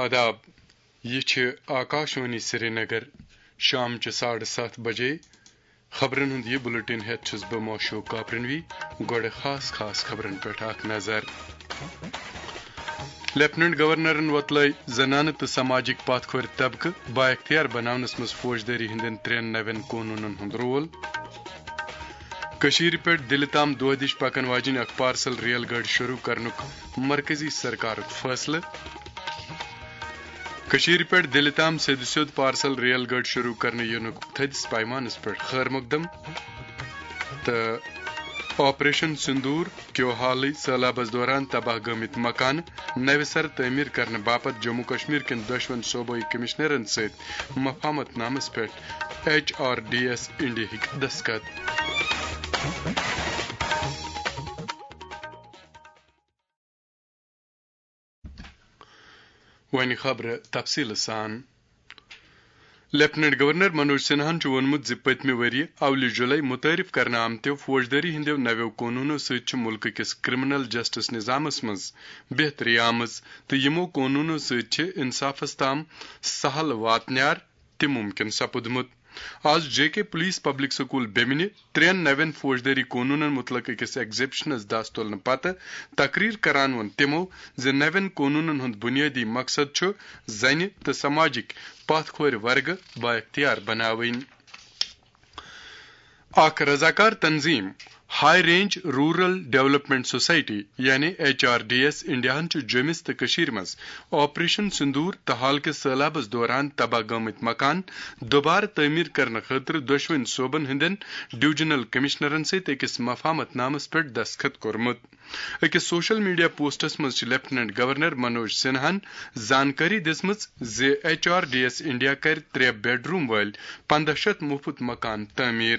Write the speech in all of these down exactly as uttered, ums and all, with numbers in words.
آداب، یہِ چھِ آکاشوانی سرینگر۔ شام چہِ ساڑٕ ستھ بجے۔ خبرن ہُنٛد یہِ بُلٹن ہٮ۪تھ چھُس بہٕ موشوق کاپرنوی۔ گۄڈٕ خاص خاص خبرن پٮ۪ٹھ اکھ نظر۔ لیفٹیننٹ گورنرن وۄتلٲے زنانہٕ تہٕ سماجٕکۍ پتھ کھورِ طبقہٕ بااختیار بناونس منٛز فوجدٲری ہٕنٛدٮ۪ن ترٛٮ۪ن نوٮ۪ن قونوٗنن ہُنٛد رول۔ کٔشیٖرِ پٮ۪ٹھ دِلہِ تام دۄہ دِش پکن واجیٚنۍ اکھ پارسل ریل گٲڑۍ شروع کرنُک مرکزی سرکارُک فٲصلہٕ۔ کٔشیٖرِ پٮ۪ٹھ دِلہِ تام سیٚدِ سیوٚد پارسل ریل گٲڑۍ شروع کرنہٕ یِنُک تھٔدِس پیمانس پٮ۪ٹھ خٲر مقدم۔ تہٕ آپریشن سندوٗر کیو حالٕے سٔہلابس دوران تباہ گٲمٕتۍ مکانہٕ نوِ سرٕ تعمیٖر کرنہٕ باپتھ جموں کشمیر کٮ۪ن دۄشوٕنی صوبٲئی کمشنرن سۭتۍ مفاہمت نامس پٮ۪ٹھ ایچ آر ڈی ایس انڈیاہٕکۍ دستخط۔ وۄنۍ خبرٕ تفصیٖلہٕ سان۔ لیفٹیننٹ گورنر منوج سنہاہن چھُ ووٚنمُت زِ پٔتمہِ ؤرۍ یہِ اولہِ جُلے مُتعارف کرنہٕ آمتیو فوجدٲری ہٕنٛدیو نویو قونوٗنو سۭتۍ چھِ مُلکہٕ کِس کرمنل جسٹس نظامس منٛز بہتری آمٕژ تہٕ یِمو قونوٗنو سۭتۍ چھِ انصافس تام سہل واتنیار تہِ مُمکِن سپُدمُت۔ آز جے کے پُلیٖس پبلک سکوٗل بیمنہِ ترٛٮ۪ن نوٮ۪ن فوجدٲری قونوٗنن مُتعلق أکِس ایگزیبشنس دَس تُلنہٕ پتہٕ تقریر کران ووٚن تِمو زِ نوٮ۪ن قونوٗنن ہُنٛد بُنیٲدی مقصد چھُ زنہِ تہٕ سماجٕکۍ پتھ کھورِ ورگہٕ بااختیار بناوٕنۍ۔ اکھ رضاکار تنظیم high range rural development society یعنی ایچ آر ڈی ایس انڈیاہن چھُ جوٚمِس تہٕ کٔشیٖرِ منٛز آپریشن سندوٗر تہٕ حال کِس سٔہلابس دوران تباہ گٲمٕتۍ مکان دوبارٕ تعمیٖر کرنہٕ خٲطرٕ دۄشوٕنی صوبن ہٕنٛدٮ۪ن ڈویژنل کمشنرن سۭتۍ أکِس مفاہمت نامس پٮ۪ٹھ دستخط کوٚرمُت۔ أکِس سوشل میڈیا پوسٹس منٛز چھِ لیفٹیننٹ گورنر منوج سنہاہن زانکٲری دِژمٕژ زِ H R D S India کرِ ترٛےٚ بیڈ روم وٲلۍ پنٛداہ شیٚتھ مُفت مکان تعمیٖر۔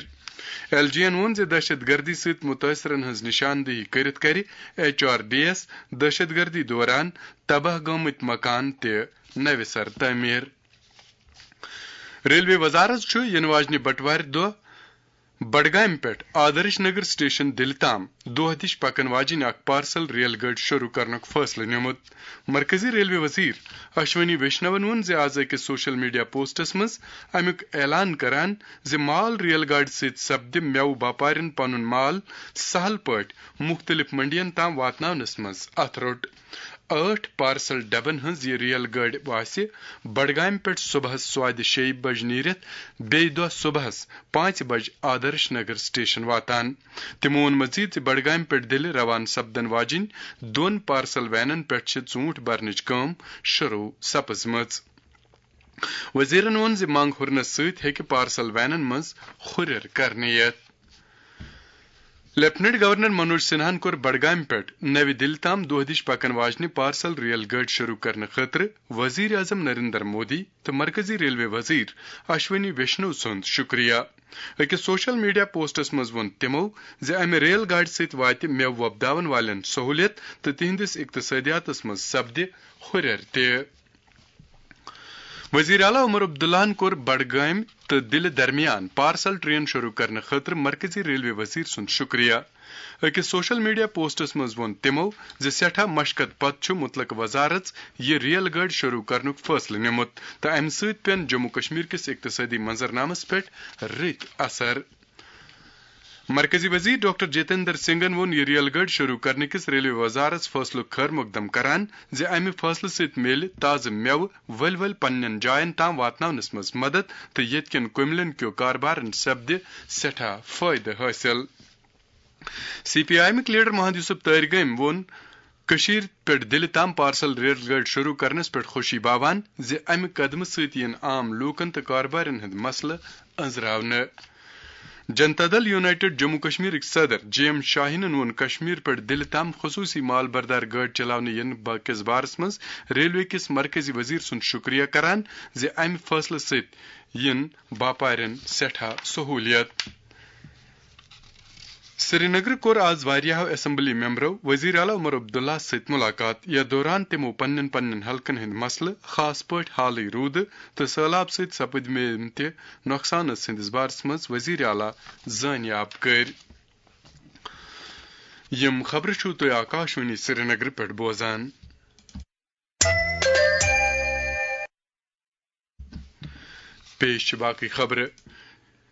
ایل جی یَن ووٚن زِ دہشت گردی سۭتۍ مُتٲثرَن ہٕنٛز نِشاندِہی کٔرِتھ کَرِ ایچ آر ڈی ایس دہشت گردی دوران تباہ گٲمٕتۍ مکان تہِ نَوِ سَرٕ تعمیٖر۔ ریلوے وزارت چھُ یِنہٕ واجنہِ بٹوارِ دۄہ بڈگامہِ پٮ۪ٹھ آدرش نگر سٹیشن دِلہِ تام دۄہ دِش پکن واجیٚنۍ اکھ پارسل ریل گٲڑۍ شروع کرنُک فٲصلہٕ نیومُت۔ مرکزی ریلوے وزیر اشونی ویشنون ووٚن زِ آز أکِس سوشل میڈیا پوسٹس منٛز امیُک اعلان کران زِ مال ریل گاڑِ سۭتۍ سپدِ مٮ۪وٕ باپارٮ۪ن پنُن مال سہل پٲٹھۍ مُختٔلِف منڈین تام واتناونس منٛز اتھٕ روٚٹ۔ ٲٹھ پارسل ڈبن ہٕنٛز یہِ ریل گٲڑۍ واسہِ بڈگامہِ پٮ۪ٹھ صبحس سوادِ شیٚیہِ بجہِ نیٖرِتھ بیٚیہِ دۄہ صبحس پانٛژِ بجہِ آدرش نگر سٹیشن واتان۔ تِمو ووٚن مزید زِ بڈگامہِ پٮ۪ٹھ دِلہِ روانہٕ سپدن واجیٚنۍ دۄن پارسل وینن پٮ۪ٹھ چھِ ژوٗنٹھۍ برنٕچ کٲم شروع سپٕزمٕژ۔ وزیرن ووٚن زِ منگ ہُرنس سۭتۍ ہیٚکہِ پارسل وینن منٛز ہُرٮ۪ر کرنہٕ یِتھ۔ لیفٹیننٹ گورنر منوج سنہاہن کوٚر بڈگامہِ پٮ۪ٹھ نوِ دِلہِ تام دۄہ دِش پکن واجنہِ پارسل ریل گٲڑۍ شروع کرنہٕ خٲطرٕ وزیر اعظم نریندر مودی تہٕ مرکزی ریلوے وزیر اشونی ویشنو سُنٛد شُکریہ۔ أکِس سوشل میڈیا پوسٹس منٛز ووٚن تِمو زِ امہِ ریل گاڑِ سۭتۍ واتہِ مٮ۪وٕ وۄپداون والٮ۪ن سہوٗلیت تہٕ تِہنٛدِس اقتصٲدیاتس منٛز سپدِ ہُرٮ۪ر تہِ۔ وزیر اعلیٰ عمر عبداللہن کوٚر بڈگامۍ تہٕ دِلہِ درمیان پارسل ٹرین شروع کرنہٕ خٲطرٕ مرکزی ریلوے وزیر سُنٛد شُکریہ۔ أکِس سوشل میڈیا پوسٹس منٛز ووٚن تِمو زِ سٮ۪ٹھاہ مشقت پتہٕ چھُ مُتلقہٕ وزارت یہِ ریل گٲڑۍ شروع کرنُک فٲصلہٕ نیومُت تہٕ امہِ سۭتۍ پیٚن جموں کشمیر کِس اقتصٲدی منظرنامس پٮ۪ٹھ رٕتۍ اثر۔ مرکزی وزیر ڈاکٹر جتیندر سنگھن ووٚن یہِ ریل گٲڑۍ شروع کرنہٕ کِس ریلوے وزارت فٲصلُک خٲر مقدم کران زِ امہِ فٲصلہٕ سۭتۍ میلہِ تازٕ مٮ۪وٕ ؤلۍ ؤلۍ پننٮ۪ن جاین تام واتناونس منٛز مدد تہٕ ییٚتہِ کٮ۪ن کُملٮ۪ن کیو کاربارن سپدِ سٮ۪ٹھاہ فٲیدٕ حٲصِل۔ سی پی آئی ایمٕکۍ لیڈر محمد یوسف تارگٲمۍ ووٚن کٔشیٖرِ پٮ۪ٹھ دِلہِ تام پارسل ریل گٲڑۍ شروع کرنس پٮ۪ٹھ خوشی باوان زِ امہِ قدمہٕ سۭتۍ یِن عام لوٗکن تہٕ کاربارٮ۪ن ہٕنٛدۍ مسلہٕ أنٛزراونہٕ۔ جنتا دل یونائیٹڈ جموں کشمیرٕکۍ صدر جے ایم شاہینن ووٚن کشمیر پٮ۪ٹھ دِلہِ تام خصوٗصی مال بردار گٲڑۍ چلاونہٕ یِنہٕ با-، کِس بارس منٛز ریلوے کِس مرکزی وزیر سُنٛد شُکریہ کران زِ امہِ فٲصلہٕ سۭتۍ یِن باپارٮ۪ن سٮ۪ٹھاہ سہوٗلیت۔ سرینگرٕ کوٚر آز واریاہو اسمبلی ممبرو وزیر اعلیٰ عمر عبداللہ سۭتۍ مُلاقات، یتھ دوران تِمو پننٮ۪ن پننٮ۪ن حلقن ہٕنٛدۍ مسلہٕ، خاص پٲٹھۍ حالٕے روٗدٕ تہٕ سہلاب سۭتۍ سپٕدمٕتہِ نۄقصانس ہٕنٛدِس بارس منٛز وزیر اعلیٰ زٲنیاب کٔرۍ۔ یِم خبرٕ چھِو تُہۍ آکاشوانی سرینگرٕ پٮ۪ٹھ بوزان۔ پیش چھِ باقٕے خبرٕ۔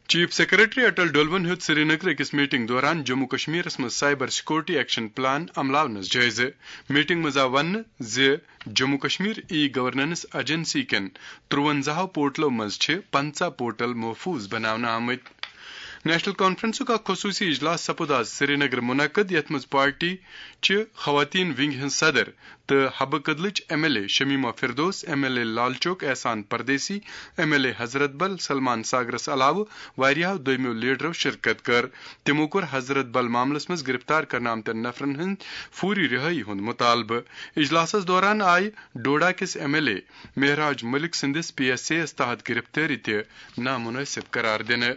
چیف سیکرٹری اٹل ڈولون ہیوٚت سرینگر أکِس میٹنگ دوران جموں کشمیرس منٛز سائبر سیکورٹی ایکشن پلان عملاونس جٲیزٕ۔ میٹنگ منٛز آو وننہٕ زِ Jammu Kashmir e governance agency کٮ۪ن ترٛوَنزاہو پورٹلو منٛز چھِ پنٛژاہ پورٹل محفوظ بناونہٕ آمٕتۍ۔ نیشنل کانفرنسُک اکھ خصوٗصی اجلاس سپُد آز سرینگر منعقد، یتھ منٛز پارٹی چہِ خواتین ونگ ہٕنٛز صدر تہٕ حبہٕ کدلٕچ M L A Shamima Firdous, M L A Lal Chowk Ehsan Pardesi, M L A Hazratbal Salman ساگرس علاوٕ واریاہو دوٚیمیو لیڈرو شرکت کٔر۔ تِمو کوٚر حضرت بل معاملس منٛز گرفتار کرنہٕ آمتٮ۪ن نفرن ہٕنٛدۍ فوری رہٲیی ہُنٛد مطالبہٕ۔ اجلاسس دوران آیہِ ڈوڈا کِس ایم ایل اے مہراج ملک سٕنٛدِس پی ایس اے یَس تحت گرفتٲری تہِ نامنٲسب قرار دِنہٕ۔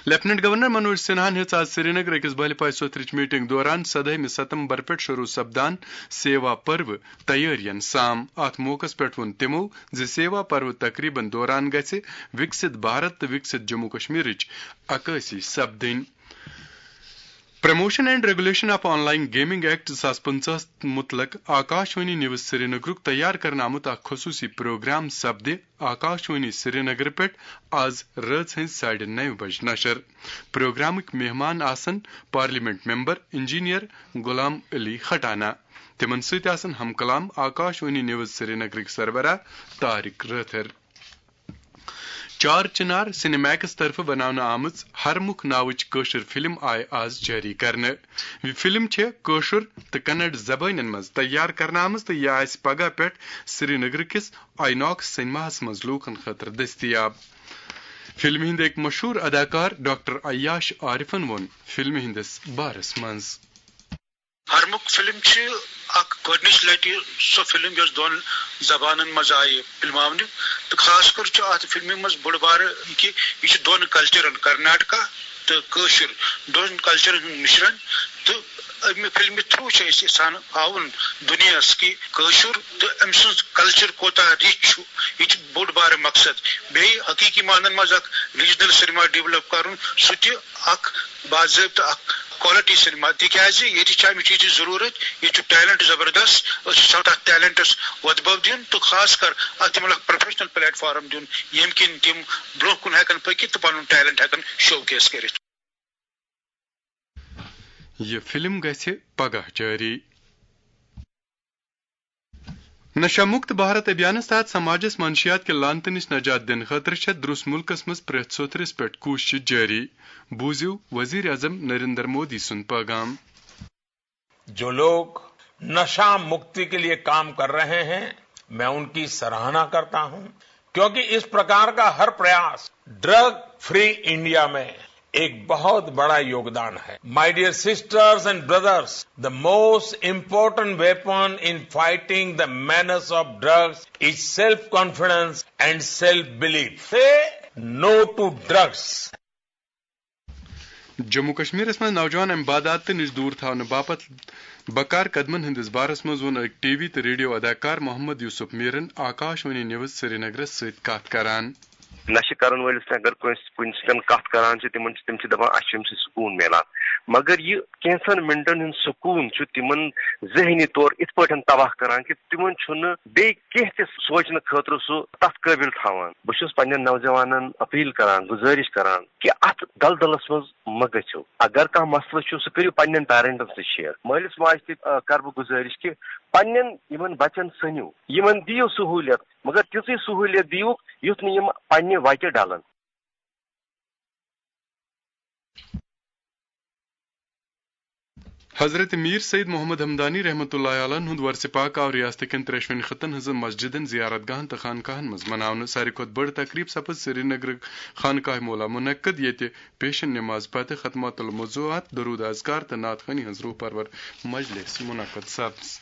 لیفٹیننٹ گورنر منوج سنہاہن ہیٚژ آز سرینگر أکِس بہلہِ پاے سوتھرٕچ میٹنگ دوران سدٲہمہِ ستمبر پٮ۪ٹھ شروع سپدان سیوا پرو تیٲرین سام۔ اتھ موقعس پٮ۪ٹھ ووٚن تِمو زِ سیوا پرو تقریبن دوران گژھِ وکست بھارت تہٕ وکست جموں کشمیرٕچ عکٲسی سپدٕنۍ۔ Promotion and regulation of online gaming act زٕ ساس پٕنٛژٕہس متعلق آکاش وانی نیوز سرینگرُک تیار کرنہٕ آمُت اکھ خصوٗصی پروگرام سپدِ آکاش وانی سرینگر پٮ۪ٹھ آز رٲژ ہٕنٛزِ ساڑِ نَوِ بجہِ نشر۔ پروگرامٕکۍ مہمان آسن parliament member engineer Ghulam Ali Khatana. تِمن سۭتۍ آسن ہم کلام آکاش وانی نیوز سرینگرٕکۍ سربراہ طارق رٲتھر۔ چار چنار سنیمیکس طرفہٕ بناونہٕ آمٕژ ہرمُکھ ناوٕچ کٲشِر فلم آیہِ آز جٲری کرنہٕ۔ یہِ فلم چھےٚ کٲشُر تہٕ کنڑ زبٲنٮ۪ن منٛز تیار کرنہٕ آمٕژ تہٕ یہِ آسہِ پگاہ پٮ۪ٹھ سرینگرٕ کِس آئی ناکس سینماہس منٛز لوٗکن خٲطرٕ دٔستیاب۔ فلمہِ ہٕنٛدۍ أکۍ مشہوٗر اداکار ڈاکٹر عیاش عارفن ووٚن فلمہِ ہٕنٛدِس بارس منٛز۔ ہرمُکھ فلم چھِ اکھ گۄڈٕنِچ لٹہِ سۄ فلم یۄس دۄن زبانن منٛز آیہِ فلماونہٕ، تہٕ خاص کر چھُ اتھ فلمہِ منٛز بوٚڑ بارٕ یہِ کہِ یہِ چھِ دۄن کلچرن، کرناٹکا تہٕ کٲشُر، دۄن کلچرن ہُنٛد مِشرن۔ تہٕ امہِ فلمہِ تھرو چھِ أسۍ یژھان ہاوُن دُنیاہس کہِ کٲشُر تہٕ أمۍ سُنٛد کلچر کوتاہ رِچ چھُ۔ یہِ چھُ بوٚڑ بارٕ مقصد۔ بیٚیہِ حقیقی معنن منٛز اکھ ریجنل سینما ڈیولپ کرُن، سُہ تہِ اکھ باضٲبطہٕ اکھ کوالٹی سینما، تِکیازِ ییٚتہِ چھِ امہِ چیٖزٕچ ضروٗرت، ییٚتہِ چھُ ٹیلنٹ زبردست، أسۍ چھِ یژھان تتھ ٹیلنٹس وۄتھٕ بوٚو دیُن تہٕ خاص کر اتھ دِمن اکھ پروفیشنل پلیٹ فارم دیُن، ییٚمہِ کِنۍ تِم برونٛہہ کُن ہیٚکن پٔکِتھ تہٕ پنُن ٹیلنٹ ہیٚکن شو کیس کٔرِتھ۔ یہِ فلم گژھِ پگاہ جٲری۔ نشہ مکت بھارت ابھیانس تحت سماجس منشیات کہِ لعنتہٕ نِش نجات دِنہٕ خٲطرٕ چھےٚ درٛس مُلکس منٛز پرٛٮ۪تھ سوٚتھرِس پٮ۪ٹھ کوٗشش جٲری۔ بوٗزِو وزیر اعظم نریندر مودی سُنٛد پیغام۔ जो लोग नशा मुक्ति के लिए काम कर रहे हैं, मैं उनकी सराहना करता हूं, क्योंकि इस प्रकार का हर प्रयास ड्रग फ्री इंडिया में एक बहुत बड़ा योगदान है। My dear sisters and brothers, the most important weapon in fighting the menace of drugs is self confidence and self belief. Say no to drugs. Jammu کشمیرس منٛز نوجوان امہِ بدعاتہٕ نِش دوٗر تھاونہٕ باپتھ بکار قدمن ہٕنٛدِس بارس منٛز ووٚن أکۍ ٹی وی تہٕ ریڈیو اداکار محمد یوسف میرن آکاش وانی نیوز سرینگرس سۭتۍ کتھ کران۔ نشہٕ کرن وٲلِس سۭتۍ اگر کٲنٛسہِ کُنہِ سۭتۍ کتھ کران چھِ، تِمن چھِ، تِم چھِ دپان، اسہِ چھُ امہِ سۭتۍ سکوٗن میلان، مگر یہِ کینٛژن منٹن ہُنٛد سکوٗن چھُ تِمن ذہنی طور اِتھ پٲٹھۍ تباہ کران کہِ تِمن چھُنہٕ بیٚیہِ کینٛہہ تہِ سونٛچنہٕ خٲطرٕ سُہ تتھ قٲبل تھاوان۔ بہٕ چھُس پننٮ۪ن نوجوانن اپیل کران، گُزٲرِش کران کہِ اتھ دلدلس منٛز مہ گٔژھِو۔ اگر کانٛہہ مسلہٕ چھُ، سُہ کٔرِو پننٮ۪ن پیرنٹن سۭتۍ شیئر۔ مٲلِس ماجہِ تہِ، آ، کرٕ بہٕ گُزٲرِش کہِ پننٮ۪ن یِمن بچن سٔنِو، یِمن دِیِو سہوٗلیت، مگر تِژٕے سہوٗلیت دِیِو یُتھ نہٕ یِم پننہِ وتہِ ڈلن۔ حضرت میر سید محمد ہمدانی رحمت اللہ علیہ ہُنٛد ورثہ پاک آو ریاست کٮ۪ن ترٛیشوٕنی خطن ہٕنٛزن مسجدن، زیارت گاہن تہٕ خانقاہن منٛز مناونہٕ۔ ساروی کھۄتہٕ بٔڑ تقریب سپٕز سرینگرٕ خانقاہ مولا منعقد، ییٚتہِ پیشن نماز پتہٕ ختمات الموضوعات، درود اذکار تہٕ نعت خوانی ہٕنٛز روح پرور مجلس منعقد سپٕز۔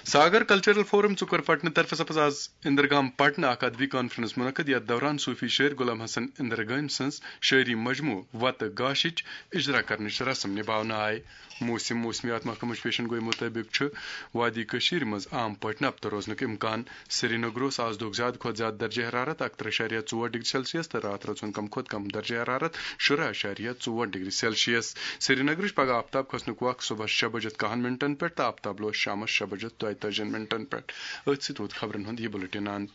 ساگر کلچرل فورم ژُکر پٹنہٕ طرفہٕ سپٕز آز اندرگام پٹنہٕ اکھ ادبی کانفرنس منعقد، یتھ دوران صوفی شٲعر غلام حسن اندرگام سٕنٛز شٲعری مجموعہٕ وتہٕ گاشِچ اجرا کرنٕچ رسم نباونہٕ آیہِ۔ موسم، موسمیات محکمٕچ پیشن گوئی مطٲبق چھُ وادی کٔشیٖرِ منٛز عام پٲٹھۍ نبتہٕ روزنُک امکان۔ سرینگر اوس آز دۄہُک زیادٕ کھۄتہٕ زیادٕ درجہ حرارت اکترٕہ اعشاریہ ژور ڈگری سیلسیس تہٕ راتھ رٲژ ہُنٛد کم کھۄتہٕ کم درجہ حرارت شُراہ اعشاریہ ژور ڈگری سیلسیس۔ سرینگرٕچ پگہہ آفتاب کھسنُک وق صبحس شےٚ بجہِ کاہن منٹن پٮ۪ٹھ تہٕ آفتاب لوس شام شامس شےٚ بجے دۄیہِ تٲجی منٹن پٮ۪ٹھ۔ أتھۍ سۭتۍ ووت خبرن ہُنٛد یہِ بُلٹن اند۔